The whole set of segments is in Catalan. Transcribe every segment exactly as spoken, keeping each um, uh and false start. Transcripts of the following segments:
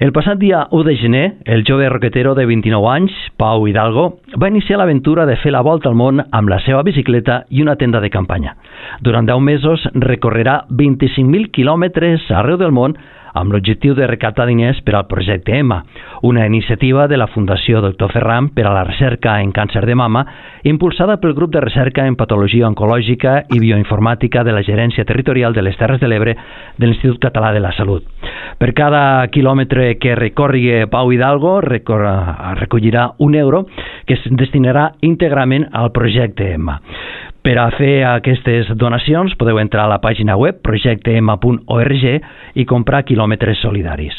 El passat dia u de gener, el jove roquetero de vint-i-nou anys, Pau Hidalgo, va iniciar l'aventura de fer la volta al món amb la seva bicicleta i una tenda de campanya. Durant deu mesos recorrerà vint-i-cinc mil quilòmetres arreu del món amb l'objectiu de recaptar diners per al projecte EMMA, una iniciativa de la Fundació doctor Ferran per a la recerca en càncer de mama, impulsada pel grup de recerca en patologia oncològica i bioinformàtica de la Gerència Territorial de les Terres de l'Ebre de l'Institut Català de la Salut. Per cada quilòmetre que recorri Pau Hidalgo recollirà un euro que es destinarà íntegrament al projecte EMMA. Per a fer aquestes donacions podeu entrar a la pàgina web projecte emma punt org i comprar quilòmetres solidaris.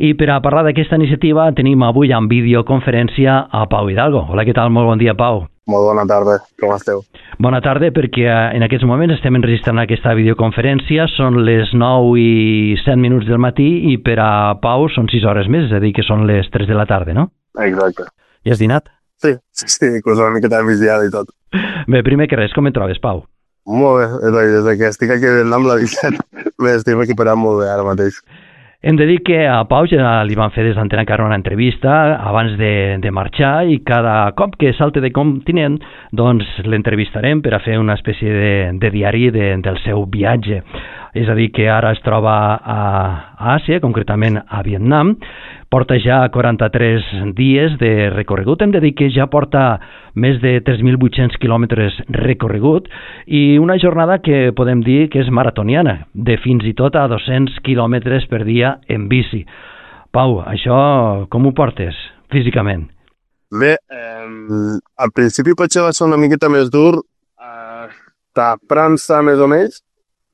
I per a parlar d'aquesta iniciativa tenim avui en videoconferència a Pau Hidalgo. Hola, què tal? Molt bon dia, Pau. Molt bona tarda, com esteu? Bona tarda, perquè en aquests moments estem enregistrant aquesta videoconferència, són les nou i set minuts del matí i per a Pau són sis hores més, és a dir, que són les tres de la tarda, no? Exacte. I has dinat? Sí, sí, sí, inclús una miqueta de migdiada i tot. Bé, primer que res, com et trobes, Pau? Molt bé, és a dir, des que estic aquí a Vietnam, la veritat, m'estic recuperant molt bé ara mateix. Hem de dir que a Pau ja li van fer des d'Antena Carme una entrevista abans de, de marxar i cada cop que salte de continent doncs l'entrevistarem per a fer una espècie de, de diari de, del seu viatge. És a dir, que ara es troba a, a Àsia, concretament a Vietnam, porta ja quaranta-tres dies de recorregut. Hem de dir que ja porta més de tres mil vuit-cents quilòmetres recorregut i una jornada que podem dir que és maratoniana, de fins i tot a dos-cents quilòmetres per dia en bici. Pau, això com ho portes físicament? Bé, eh, al principi potser va ser una miqueta més dur eh, a França més o menys,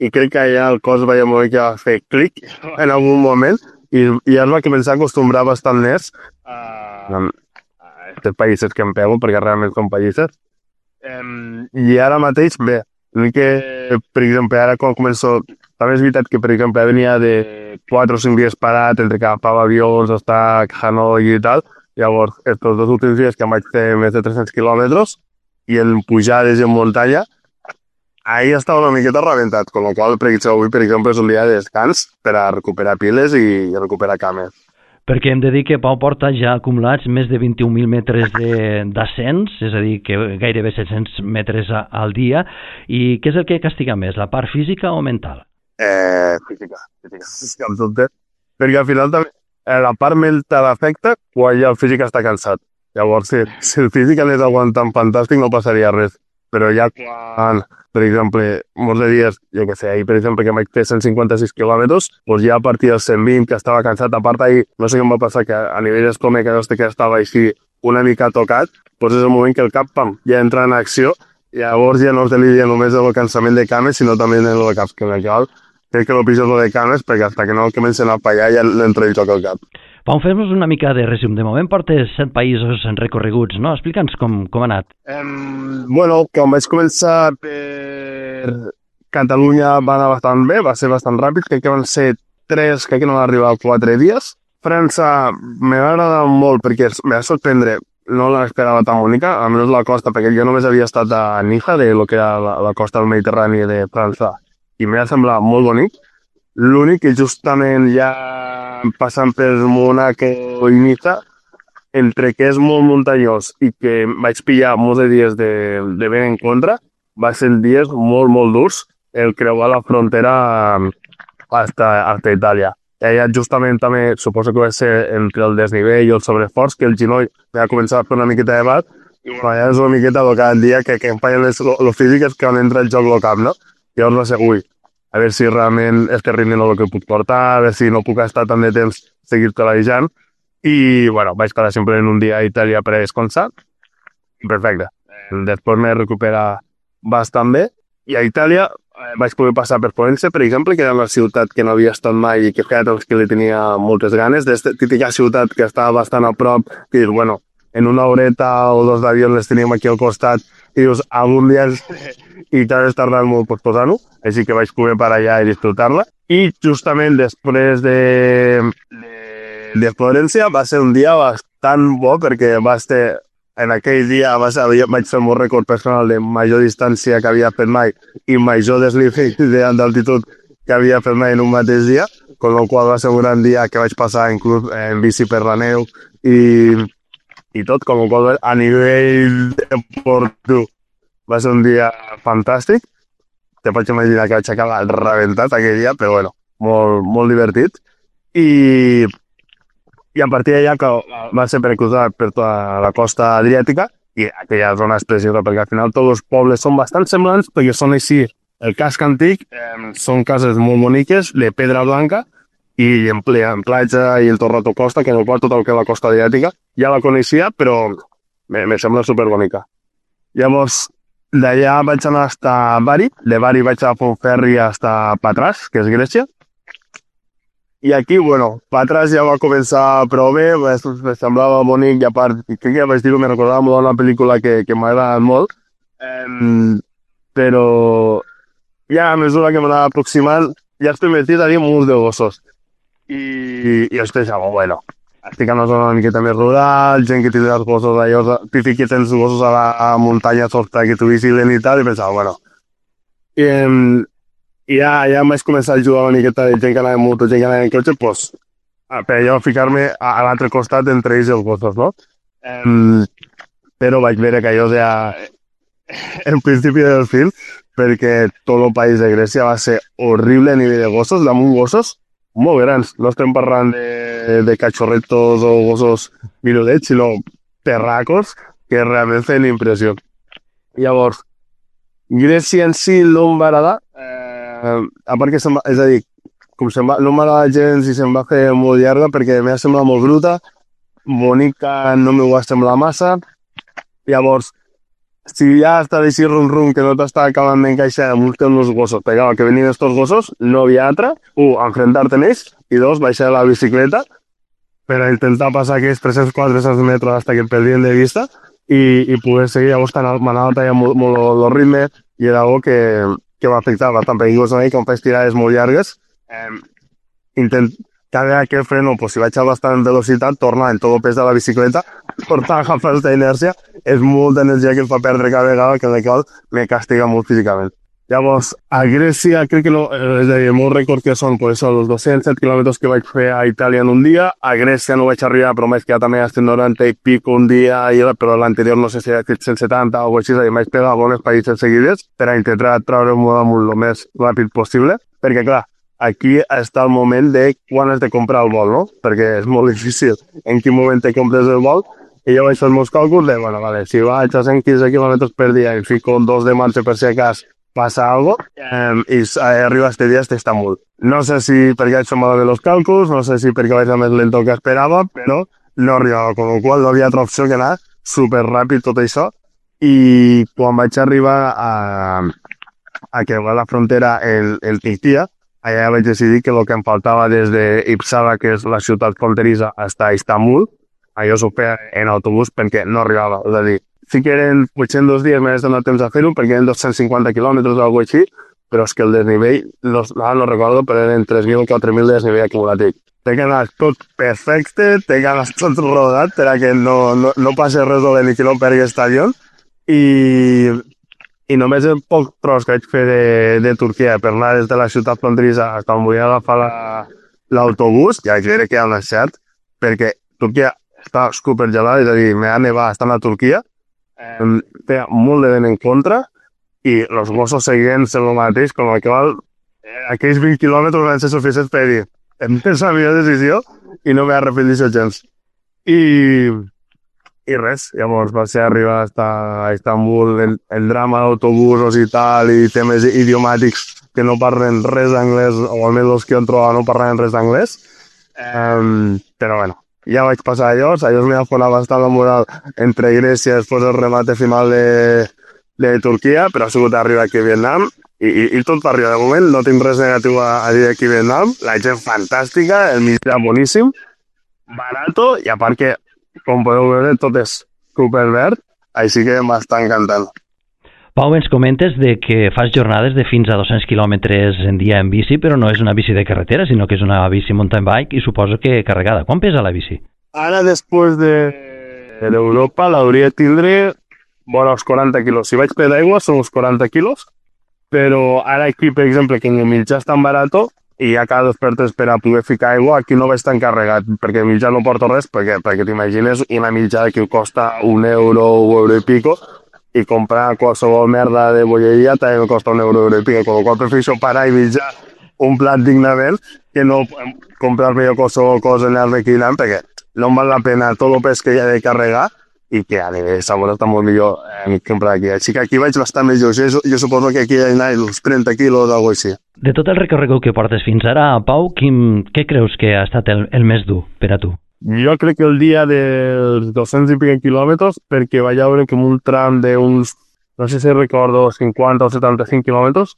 i crec que allà el cos veia molt que va fer clic en algun moment i, i ja es va començar a acostumbrar bastant més a, a aquests països que em pego, perquè realment són països. Um, I ara mateix, bé, que, per exemple, ara quan començo... També és veritat que, per exemple, venia de quatre o cinc dies parat entre que agafava avions, estar a Hanoi i tal. Llavors, estos dos últims dies que em vaig fer més de tres-cents quilòmetres i en pujades i en muntanya, ahir estava una miqueta rebentat, con la qual cosa avui, per exemple, és un dia de descans per a recuperar piles i recuperar cames. Perquè hem de dir que Pau porta ja acumulats més de vint-i-un mil metres d'ascens, és a dir, que gairebé set-cents metres a, al dia. I què és el que castiga més, la part física o mental? Eh, física, física, física, amb dubte. Perquè al final també eh, la part mental afecta quan ja el físic està cansat. Llavors, si, si el físic anés aguantant fantàstic no passaria res. Però ja quan, per exemple, molts de dies, jo què sé, ahir, per exemple, que vaig fer cent cinquanta-sis quilòmetres, doncs ja a partir dels cent vint, que estava cansat, a part ahir, no sé què em va passar, que a nivell d'estómac que estava així una mica tocat, doncs és el moment que el cap, pam, ja entra en acció, i llavors ja no es deliria només el cansament de cames, sinó també en el cap, que cal. Crec que el pitjor és el de cames, perquè fins que no comencen a fallar ja l'entra i toca el cap. Pau, fes-nos una mica de resum. De moment portes set països recorreguts, no? Explica'ns com, com ha anat. Um, bueno, quan vaig començar per Catalunya va anar bastant bé, va ser bastant ràpid, crec que van ser tres, crec que no van arribar a quatre dies. França me va agradar molt perquè me va sorprendre, no l'esperava tan bonica, almenys la costa, perquè jo només havia estat a Niza, de lo que era la, la costa del Mediterrani de França, i m'ha semblat molt bonic. L'únic que justament ja passant per Monaco i Niza, entre que és molt muntanyós i que vaig pillar molts de dies de, de vent en contra, va ser dies molt, molt durs el creuar la frontera hasta, hasta Itàlia. I allà justament també, suposo que va ser entre el desnivell i el sobreforç, que el genoll va començar a fer una miqueta de bat, i bueno, allà és una miqueta de cada dia que, que em fallen les lo físiques que van entrar el joc al cap, no? Llavors va ser, ui, a veure si realment este ritme no és el que puc portar, a veure si no puc estar tant de temps seguir calejant. I, bueno, vaig quedar sempre en un dia a Itàlia per a descansar. Perfecte. Després m'he recuperat bastant bé. I a Itàlia eh, vaig poder passar per Florència, per exemple, que era una ciutat que no havia estat mai i que feia temps que li tenia moltes ganes. D'esta típica ciutat que estava bastant a prop, que dius, bueno, en una horeta o dos d'avió les teníem aquí al costat, i dius, algun dia i t'has tardat molt per posar-ho, així que vaig poder per allà i disfrutar-la. I justament després de, de, de Florència va ser un dia bastant bo, perquè va ser, en aquell dia va ser, vaig fer el meu rècord personal de major distància que havia fet mai i major desnivell d'altitud que havia fet mai en un mateix dia, con el qual va ser un gran dia que vaig passar inclús en bici per la neu i, i tot, com el qual a nivell deportiu va ser un dia fantàstic. Te pots imaginar que vaig acabar rebentat aquell dia, però bueno, molt, molt divertit. I, i a partir d'allà que va ser per cruzar per tota la costa adriàtica i aquella zona és preciosa perquè al final tots els pobles són bastant semblants perquè són així. El casc antic eh, són cases molt boniques de pedra blanca i en, ple, en platja i el Torrato Costa, que en el qual tot el que és la costa adriàtica ja la coneixia, però me, me sembla superbonica. Llavors, d'allà vaig anar fins a Bari, de Bari vaig agafar un ferri fins a Patras, que és Grècia. I aquí, bueno, Patras ja va començar prou bé, me semblava bonic i a part, crec que ja vaig dir-ho, me recordava molt una pel·lícula que, que m'ha agradat molt, eh, però ja a mesura que m'anava aproximant ja estic metit a dir molts de gossos. I, i després ja, bueno, estic en una zona una miqueta més rural, gent que té els gossos allò, típic que tens gossos a la a muntanya sota que t'ho vigilen i tal, i pensava, bueno... I, i ja, ja em vaig començar a ajudar una miqueta de gent que anava en moto, gent que anava en cotxe, doncs, per allò ficar-me a, a l'altre costat entre ells i els gossos, no? Um, però vaig veure que allò ja... el principi del film, perquè tot el país de Grècia va ser horrible a nivell de gossos, damunt gossos molt grans. No estem parlant de, de cachorretos o gossos minudets, sinó perracos que realment feien impressió. Llavors, Grècia en si no em va agradar, eh, a part que se'm va, és a dir, com se'm va, no m'agrada gens i se'm va fer molt llarga perquè m'ha semblat molt bruta, bonica no m'ho va semblar massa. Llavors, si ja està així rum-rum que no t'està acabant d'encaixar amb uns temps gossos, perquè que venien estos gossos, no havia altra, un, enfrontar-te amb ells, i dos, baixar la bicicleta per a intentar passar aquells tres-cents quatre-cents metres hasta que em perdien de vista i, i poder seguir. Llavors m'anava tallant molt, molt el ritme i era algo que, que m'afectava bastant, perquè inclús a mi, quan faig tirades molt llargues, eh, intent, cada vegada que freno, pues, si vaig a bastant velocitat, torna en tot el pes de la bicicleta, tornar a agafar aquesta inèrcia, és molta energia que em fa perdre cada vegada, que en la qual me castiga molt físicament. Llavors, a Grècia, crec que no, és a dir, el meu rècord que són, pues, són els dos-cents set quilòmetres que vaig fer a Itàlia en un dia, a Grècia no vaig arribar, però m'he quedat també a cent noranta i pico un dia, però l'anterior no sé si era cent setanta o així, és a dir, m'he pegat bones països seguides per a intentar treure-m'ho damunt el més ràpid possible, perquè clar, aquí està el moment de quan has de comprar el vol, no? Perquè és molt difícil en quin moment te compres el vol. I jo vaig fer els meus càlculs de, bueno, vale, si vaig a cent quinze quilòmetres per dia i fico dos de marxa per si acas passa algo, eh, i arriba este dia a Estambul. No sé si perquè vaig fer malament els càlculs, no sé si perquè vaig anar més lento que esperava, però no arribava, con el qual no havia altra opció que anar superràpid tot això. I quan vaig arribar a, a que va a la frontera el, el Turquia, allà vaig decidir que el que em faltava des d'Ipsala, que és la ciutat fronterissa, fins a Istanbul, allò s'ho feia en autobús perquè no arribava. És a dir, sí que eren vuit-cents dies, m'he donat temps a fer-ho perquè eren dos-cents cinquanta quilòmetres o alguna cosa així, però és que el desnivell, no, no recordo, però eren tres mil o quatre mil de desnivell acumulatiu. Té que anar tot perfecte, té que anar tot rodat perquè no, no, no passi res dolent ni que no pergui estadion. I, i només el poc tros que vaig fer de, de Turquia per anar des de la ciutat fronterissa fins on volia agafar l'autobús, ja vaig veure que era un encert, perquè Turquia està supergelada, és a dir, m'ha nevat estant a Turquia, eh, té molt de vent en contra i els gossos seguien sent el mateix, com el qual eh, aquells vint quilòmetres van ser suficients per dir hem fet la millor decisió i no m'he arrepentit gens. I, i res, llavors va ser arribar a Istanbul, el, el drama d'autobusos i tal, i temes idiomàtics que no parlen res d'anglès, o almenys els que han trobat no parlen res d'anglès, eh, però bueno, ja vaig passar allò, allò m'ha fonat bastant la moral entre Grècia després del remate final de, de Turquia, però ha sigut arribar aquí a Vietnam i, i, i tot per arribar. De moment no tinc res negatiu a, a dir aquí a Vietnam, la gent fantàstica, el menjar boníssim, barato i a part que, com podeu veure, tot és superverd, així que m'està encantant. Pau, ens comentes de que fas jornades de fins a dos-cents quilòmetres en dia en bici, però no és una bici de carretera, sinó que és una bici mountain bike i suposo que carregada. Quan pesa la bici? Ara, després d'Europa, de, l'hauria de tindre vora els quaranta quilos. Si vaig per d'aigua són uns quaranta quilos, però ara aquí, per exemple, que el mitjà és tan barat i hi ha cada dos per tres per a poder ficar aigua, aquí no vaig tan carregat, perquè el mitjà no porto res, perquè, perquè t'imagines una mitjà que costa un euro, un euro i pico, i comprar qualsevol merda de bolleria també me costa un euro, euro i pico, con lo qual prefereixo parar i mitjar un plat dignament que no comprar-me jo qualsevol cosa en el requinant, perquè no em val la pena tot el pes que hi ha de carregar i que a nivell de sabor està molt millor eh, comprar aquí. Així que aquí vaig bastant més lleuger. Jo, jo suposo que aquí hi ha uns trenta quilos o alguna cosa així. De tot el recorregut que portes fins ara, Pau, quin, què creus que ha estat el, el més dur per a tu? Jo crec que el dia dels dos-cents i pico quilòmetres, perquè vaig veure que un tram d'uns, no sé si recordo, cinquanta o setanta-cinc quilòmetres,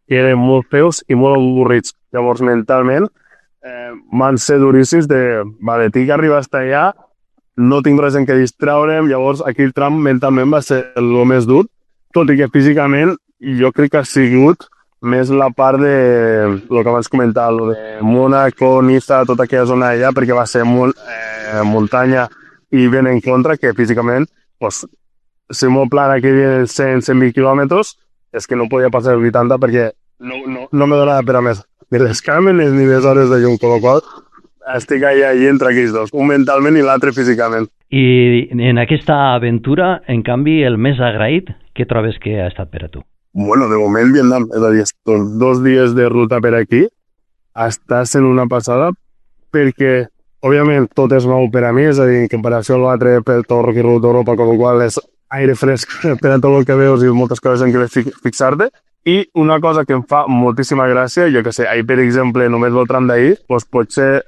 que eren molt feus i molt avorrits. Llavors, mentalment, eh, van ser duríssims de, vale, tinc que arribar fins allà, no tinc res en què distraure'm, llavors aquell tram mentalment va ser el més dur, tot i que físicament jo crec que ha sigut més la part de el que abans comentava, lo de Mónaco, Niza, tota aquella zona allà, perquè va ser molt eh, muntanya i ben en contra, que físicament, pues, si el meu plan aquí viene cent a cent vint quilòmetres, és que no podia passar els vuitanta perquè no, no, no me donava per a més, ni les càmeres ni les hores de llum, con la qual estic allà i entre aquells dos, un mentalment i l'altre físicament. I en aquesta aventura, en canvi, el més agraït, què trobes que ha estat per a tu? Bueno, de moment Vietnam, és a dir, estos dos dies de ruta per aquí està sent una passada perquè, òbviament, tot és nou per a mi, és a dir, en comparació a l'altre per tot el recorregut d'Europa, con el qual és aire fresc per a tot el que veus i moltes coses en què fixar-te. I una cosa que em fa moltíssima gràcia, jo que sé, ahir, per exemple, només el tram d'ahir, doncs potser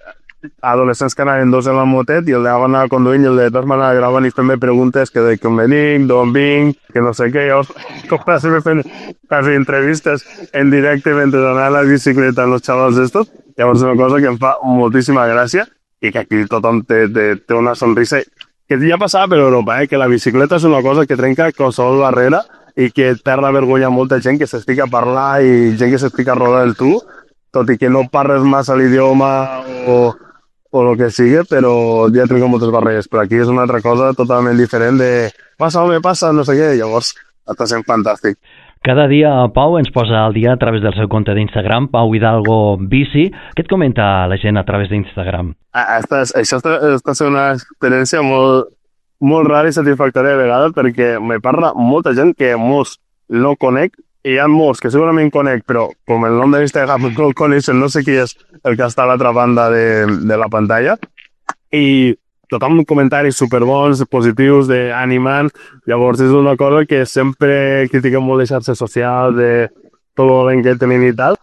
adolescents que anaven dos en la motet i el d'agua anava conduint i el de dos m'anava gravant i fent-me preguntes que de com venic, d'on vinc, que no sé què. Llavors, com va ser fent quasi entrevistes en directe mentre anava a la bicicleta amb els xavals d'estos. Llavors és una cosa que em fa moltíssima gràcia i que aquí tothom té, té, té una sonrisa que ja passava per Europa, eh? Que la bicicleta és una cosa que trenca qualsevol barrera i que perd la vergonya molta gent que s'estica a parlar i gent que s'estica a rodar el tu, tot i que no parles massa l'idioma o o el que sigui, però ja trenco moltes barreres. Però aquí és una altra cosa totalment diferent de passa, home, passa, no sé què, llavors està sent fantàstic. Cada dia Pau ens posa al dia a través del seu compte d'Instagram, Pau Hidalgo Bici. Què et comenta la gent a través d'Instagram? Ah, està, això està, està sent una experiència molt, molt rara i satisfactòria de vegades perquè me parla molta gent que molts no conec i hi ha molts que segurament conec, però com el nom de l'Instagram no el coneixen, no sé qui és el que està a l'altra banda de, de la pantalla. I tothom comentaris superbons, positius, d'animant. Llavors és una cosa que sempre critiquem molt de xarxes socials, de tot el ben que tenen i tal.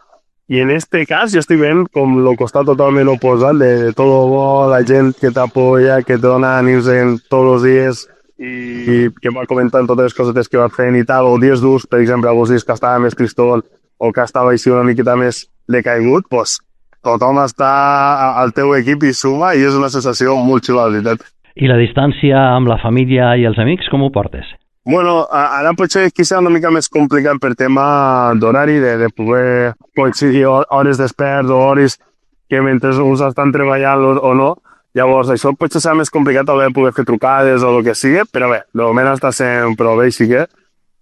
I en este cas jo estic veient com el costat totalment oposat de tot el bo, la gent que t'apoya, que te dona ànims en tots els dies, i que va comentant totes les cosetes que va fent i tal, o dies durs, per exemple, alguns dies que estava més tristón o que estava així una miqueta més decaigut, doncs tothom està al teu equip i suma i és una sensació molt xula, la veritat. I la distància amb la família i els amics, com ho portes? Bueno, ara potser quizá una mica més complicat per tema d'horari, de, de poder coincidir hores despert o hores que mentre uns estan treballant o, o no. Llavors, això potser serà més complicat haver de poder fer trucades o el que sigui, però bé, de moment està sent prou bé, així que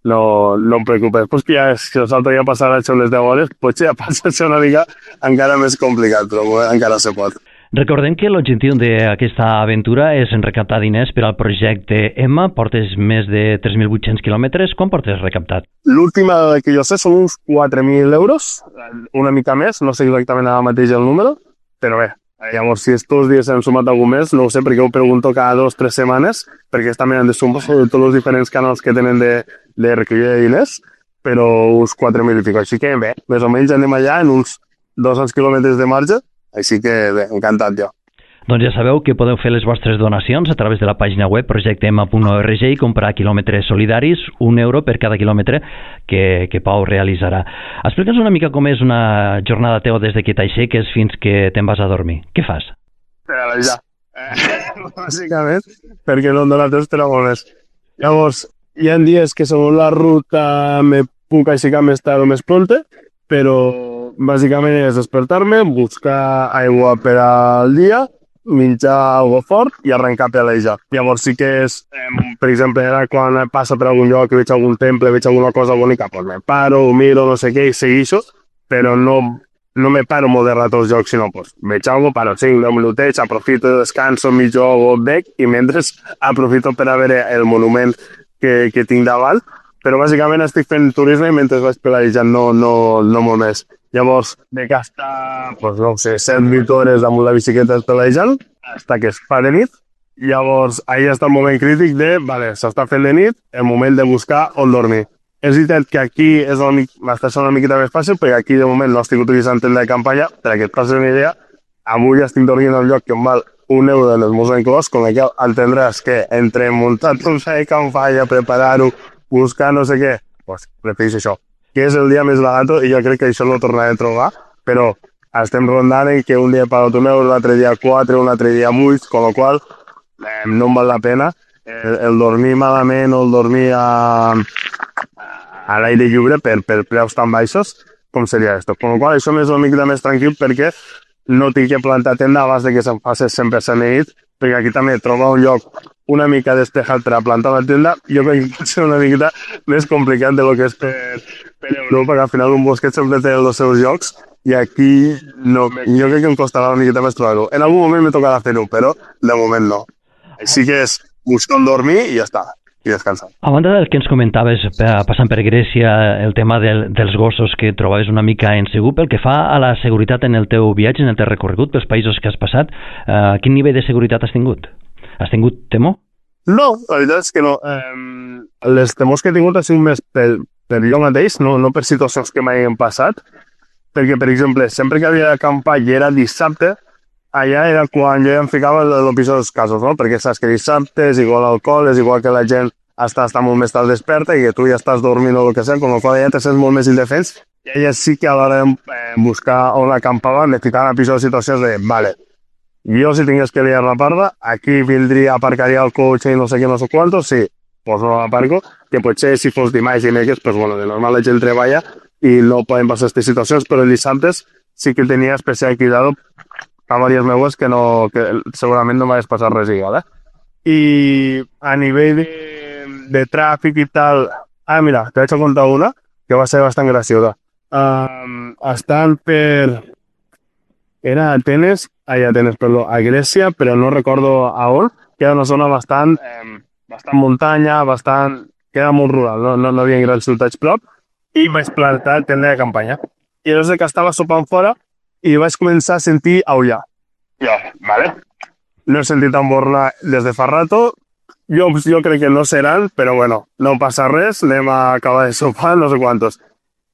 no, no em preocupes. Pues que ja, si nosaltres ja passarà les deu hores, potser ja passa a ser una mica encara més complicat, però bé, encara se pot. Recordem que l'objectiu d'aquesta aventura és recaptar diners per al projecte Emma. Portes més de tres mil vuit-cents quilòmetres. Quan portes recaptat? L'última que jo sé són uns quatre mil euros, una mica més, no sé exactament ara mateix el número, però bé. Llavors, si estos dies hem sumat algun més, no ho sé, perquè ho pregunto cada dos o tres setmanes, perquè també han de sumar tots els diferents canals que tenen de, de recollir de diners, però uns quatre mil i pico. Així que bé, més o menys anem allà en uns dos-cents quilòmetres de marge, així que bé, encantat jo. Doncs ja sabeu que podeu fer les vostres donacions a través de la pàgina web projecte emma punt org i comprar quilòmetres solidaris, un euro per cada quilòmetre que, que Pau realitzarà. Explica'ns una mica com és una jornada teva des que t'aixeques fins que te'n vas a dormir. Què fas? Ja, eh, bàsicament, perquè no em dona temps per a molt més. Llavors, hi ha dies que segons la ruta me puc aixecar més tard o més pronte, però bàsicament és despertar-me, buscar aigua per al dia, menjar algo fort i arrencar a pelejar. Llavors sí que és, eh, per exemple, ara quan passa per algun lloc, veig algun temple, veig alguna cosa bonica, doncs me paro, ho miro, no sé què, i segueixo, però no, no me paro molt de rato als jocs, sinó pues, veig alguna cosa, paro cinc deu minutets, aprofito, descanso, mig joc, bec, i mentre aprofito per a veure el monument que, que tinc davant, però bàsicament estic fent turisme mentre vaig pelejant, no, no, no molt més. Llavors, de gastar, pues, no sé, set vuit hores amb la bicicleta pelejant, fins que es fa de nit. Llavors, ahir està el moment crític de, vale, s'està fent de nit, el moment de buscar on dormir. És veritat que aquí és m'està sent una miqueta més fàcil, perquè aquí de moment no estic utilitzant tenda de campanya, perquè et passes una idea, avui estic dormint en un lloc que em val un euro en els meus inclòs, con el qual entendràs que entre muntar tot la campanya, preparar-ho, buscar no sé què, pues preferís això, que és el dia més barat i jo crec que això no ho tornaré a trobar, però estem rondant en que un dia pago un euro, l'altre dia quatre, un altre dia vuit, con la qual eh, no em val la pena el, el dormir malament o el dormir a, a l'aire lliure per, per preus tan baixos com seria esto. Con la qual això m'és una mica més tranquil perquè no tinc que plantar tenda abans de que se'm faci cent per cent nit, perquè aquí també trobar un lloc una mica despejat per a plantar la tenda, jo crec que pot ser una mica més complicat de lo que és per, per Europa, que al final un bosquet sempre té els seus llocs, i aquí no, jo crec que em costarà una miqueta més trobar-ho. En algun moment me tocarà fer-ho, però de moment no. Així que és buscar on dormir i ja està, i descansar. A banda del que ens comentaves passant per Grècia, el tema del, dels gossos que trobaves una mica insegur, pel que fa a la seguretat en el teu viatge, en el teu recorregut pels països que has passat, eh, quin nivell de seguretat has tingut? Has tingut temor? No, la veritat és que no. Eh, les temors que he tingut han sigut més per, per jo mateix, no, no per situacions que m'hagin passat, perquè, per exemple, sempre que havia d'acampar i era dissabte, allà era quan jo ja em ficava en el pitjor dels casos, no? Perquè saps que dissabte és igual alcohol, és igual que la gent està, està molt més tard desperta i que tu ja estàs dormint o el que sigui, com la qual ja te sents molt més indefens, i allà sí que a l'hora de eh, buscar on acampava me ficava en pitjors situacions de, vale, jo si tingués que liar la parda, aquí vindria, aparcaria el cotxe i no sé què, no sé quantos, sí, pues no l'aparco, que potser si fos dimarts i dimecres, pues bueno, de normal la gent treballa i no poden passar aquestes situacions, però els dissabtes sí que tenia especial cuidado a diverses meues que, no, que segurament no m'hagués passat res igual, eh? I a nivell de, de tràfic i tal... Ah, mira, te vaig a contar una que va ser bastant graciosa. Um, estan per... Era a Atenes, ai, Atenes, perdó, a Grècia, però no recordo a on, que era una zona bastant, eh, bastant muntanya, bastant... que era molt rural, no, no, no havia grans ciutats prop, i vaig plantar tenda de campanya. I llavors que estava sopant fora, i vaig començar a sentir aullar. Ja, vale. No he sentit embornar des de fa rato. Jo, jo crec que no seran, però bueno, no passa res, anem a acabar de sopar, no sé quantos.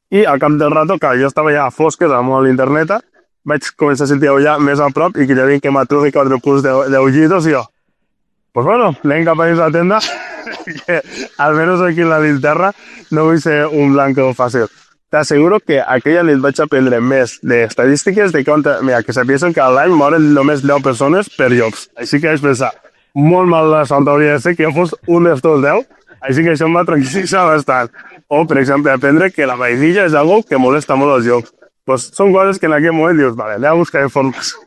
I al cap del rato, que jo estava ja a fosques, amb l'interneta, vaig començar a sentir aullar més a prop i que ja vinc que m'aturi quatre punts d'aullidos i jo. Pues bueno, anem cap a dins la tenda, que almenys aquí en la linterna no vull ser un blanco fàcil. T'asseguro que aquella nit vaig aprendre més d'estadístiques de que, mira, que sapiesen que a l'any moren només deu persones per llocs. Així que vaig pensar, molt mal la sort hauria de ser que jo fos un d'estos deu, així que això em va tranquil·litzar bastant. O, per exemple, aprendre que la vainilla és algo que molesta molt als llocs. Pues són coses que en aquell moment dius, vale, anem a buscar informació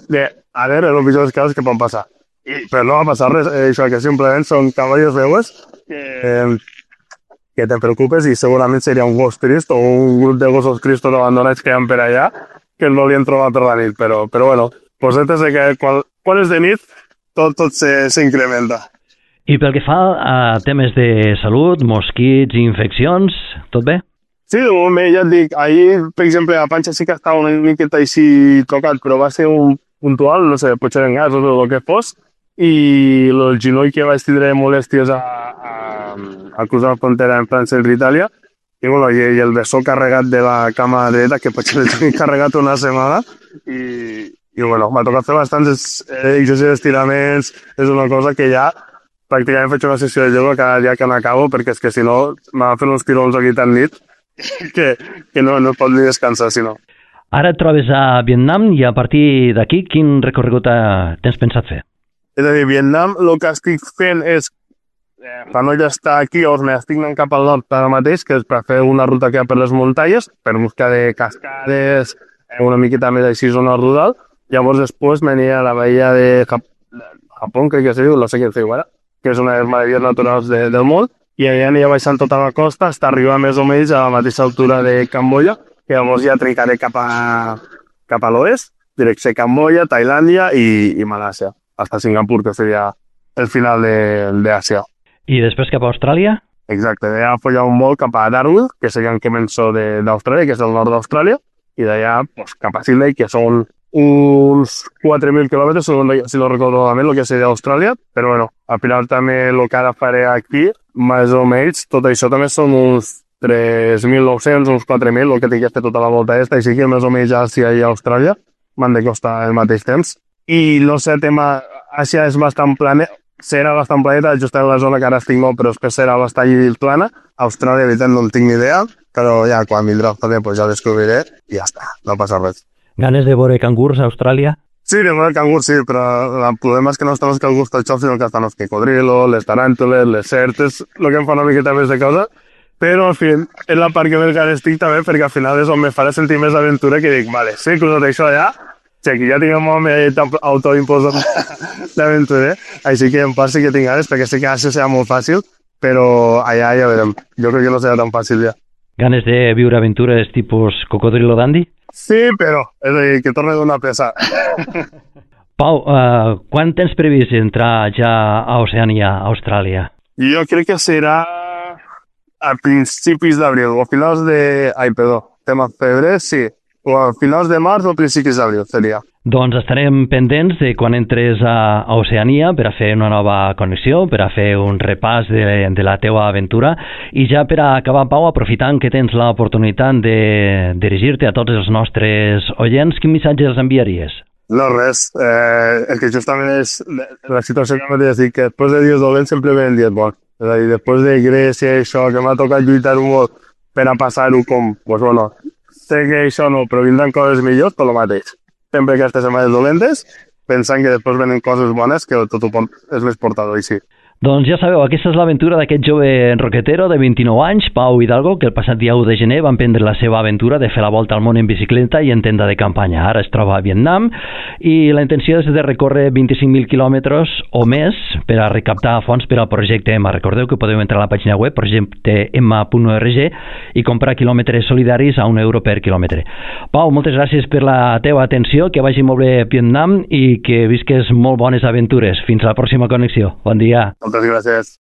de, a veure, els pitjors casos que poden passar. I, però no va passar res, eh, això que simplement són cavallos veues que... Eh, que te preocupes i segurament seria un gos trist o un grup de gossos cristos abandonats que hi ha per allà que el volien trobar per la nit, però, però bueno, posetes de que quan, quan és de nit tot, tot s'incrementa. I pel que fa a temes de salut, mosquits i infeccions, tot bé? Sí, de moment bé, ja et dic, ahir, per exemple, a Panxa sí que estava una miqueta així tocat, però va ser un puntual, no sé, potser en gas o el que fos, i el genoll que vaig tindre molèsties a, a, a cruzar la frontera en França i Itàlia, i, bueno, i, i el bessó carregat de la cama dreta, que potser l'he tingut carregat una setmana, i, i bueno, m'ha tocat fer bastants exercicis d'estiraments, és una cosa que ja pràcticament faig una sessió de ioga cada dia que n'acabo, perquè és que si no m'ha fet uns tirons aquí tan nit que, que no, no pot ni descansar, si no. Ara et trobes a Vietnam i a partir d'aquí quin recorregut tens pensat fer? És a dir, Vietnam, el que estic fent és, eh, per no ja estar aquí, llavors m'estic anant cap al nord ara mateix, que és per fer una ruta que hi ha per les muntanyes, per buscar de cascades, eh, una miqueta més així zona rural, Llavors després venia a la bahia de Jap Japó, crec que se diu, no sé què es diu ara, que és una de les meravelles naturals de, del món, i allà aniria baixant tota la costa fins arribar més o menys a la mateixa altura de Camboya, que llavors ja tricaré cap a, cap a l'oest, direcció Camboya, Tailàndia i, i Malàsia, fins a Singapur, que seria el final d'Àsia. I després cap a Austràlia? Exacte, d'allà follar un vol cap a Darwin, que seria en Kemenso d'Austràlia, que és el nord d'Austràlia, i d'allà pues, cap a Sydney, que són uns quatre mil quilòmetres, si no recordo malament, el que seria Austràlia, però bueno, al final també el que ara faré aquí, més o menys, tot això també són uns tres mil nou-cents, uns quatre mil, el que tinc que fer tota la volta aquesta, així que més o menys Àsia i Austràlia m'han de costar el mateix temps. I no sé, el tema, Àsia és bastant plana, serà bastant planeta, just en la zona que ara estic molt, però després serà bastant plana. Austràlia, de veritat, no en tinc ni idea, però ja quan vindrà el temps pues ja descobriré i ja està, no passa res. Ganes de veure cangurs a Austràlia? Sí, de veure cangurs sí, però el problema és que no estan els cangurs tot xop, sinó que estan els cocodrilos, les taràntules, les serps, el que em fa una miqueta més de cosa, però en fi, és la part que més ganes estic també, perquè al final és on me farà sentir més aventura, que dic, vale, sí, que tot això allà, sí, que ja tinc el meu autoimposat d'aventurer, així que en part sí que tinc ganes, perquè sé que això serà molt fàcil, però allà ja veurem, jo crec que no serà tan fàcil ja. Ganes de viure aventures tipus cocodrilo dandy? Sí, però, és a dir, que torni a donar pressa. Pau, uh, quan tens previst entrar ja a Oceania, a Austràlia? Jo crec que serà a principis d'abril, o a finals de... Ai, perdó, tema febrer, sí. O a finals de març o principis d'abril seria. Doncs estarem pendents de quan entres a Oceania per a fer una nova connexió, per a fer un repàs de, de la teua aventura, i ja per a acabar, Pau, aprofitant que tens l'oportunitat de dirigir-te a tots els nostres oients, quin missatge els enviaries? No, res. Eh, el que justament és la situació que m'ha dit, que després de dies dolents sempre venen dies bons. És a dir, després de Grècia i això, que m'ha tocat lluitar molt per a passar-ho com, pues bueno, sé que això no, però vindran coses millors, per lo mateix. Sempre aquestes setmanes dolentes, pensant que després venen coses bones, que tot ho és més portador, i sí. Doncs ja sabeu, aquesta és l'aventura d'aquest jove roquetero de vint-i-nou anys, Pau Hidalgo, que el passat dia u de gener va emprendre la seva aventura de fer la volta al món en bicicleta i en tenda de campanya. Ara es troba a Vietnam i la intenció és de recórrer vint-i-cinc mil quilòmetres o més per a recaptar fons per al projecte E M A. Recordeu que podeu entrar a la pàgina web projecte m a punt org i comprar quilòmetres solidaris a un euro per quilòmetre. Pau, moltes gràcies per la teva atenció, que vagi molt bé a Vietnam i que visques molt bones aventures. Fins a la pròxima connexió. Bon dia. Moltes gràcies.